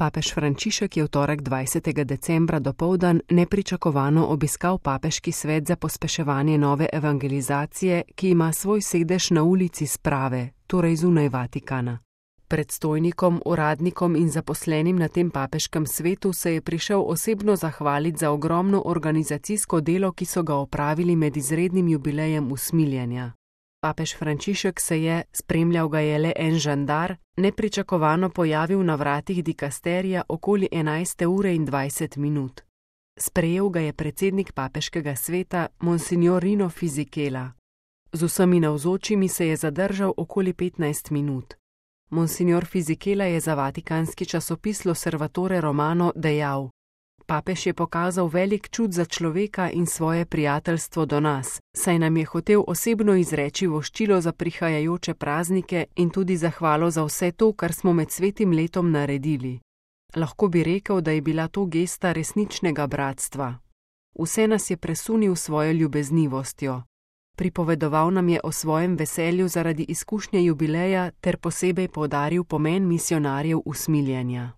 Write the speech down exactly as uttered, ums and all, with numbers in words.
Papež Frančišek je v torek dvajsetega decembra dopoldan nepričakovano obiskal Papeški svet za pospeševanje nove evangelizacije, ki ima svoj sedež na ulici Sprave, torej zunaj Vatikana. Predstojnikom, uradnikom in zaposlenim na tem papeškem svetu se je prišel osebno zahvaliti za ogromno organizacijsko delo, ki so ga opravili med izrednim jubilejem usmiljenja. Papež Frančišek se je, spremljal ga je le en žandar, nepričakovano pojavil na vratih dikasterija okoli enajste ure in dvajset minut. Sprejel ga je predsednik papeškega sveta, monsignor Rino Fisichella. Z vsemi navzočimi se je zadržal okoli petnajst minut. Monsignor Fisichella je za vatikanski časopis L'Osservatore Romano dejal: Papež je pokazal velik čut za človeka in svoje prijateljstvo do nas, saj nam je hotel osebno izreči voščilo za prihajajoče praznike in tudi zahvalo za vse to, kar smo med svetim letom naredili. Lahko bi rekel, da je bila to gesta resničnega bratstva. Vse nas je presunil svojo ljubeznivostjo. Pripovedoval nam je o svojem veselju zaradi izkušnje jubileja ter posebej poudaril pomen misionarjev usmiljenja.